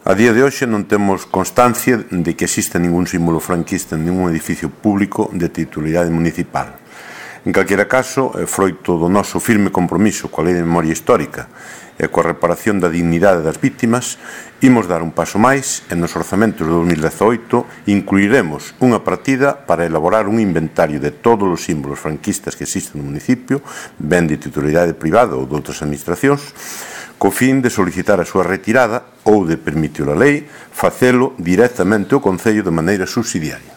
A día de hoxe non temos constancia de que exista ningún símbolo franquista en ningún edificio público de titularidade municipal. En calquera caso, froito do noso firme compromiso coa Lei de Memoria Histórica e coa reparación da dignidade das vítimas, imos dar un paso máis e nos orzamentos de 2018 incluiremos unha partida para elaborar un inventario de todos os símbolos franquistas que existen no municipio, ben de titularidade privada ou de outras administracións, co fin de solicitar a súa retirada ou de permitir a lei facelo directamente ao Concello de maneira subsidiaria.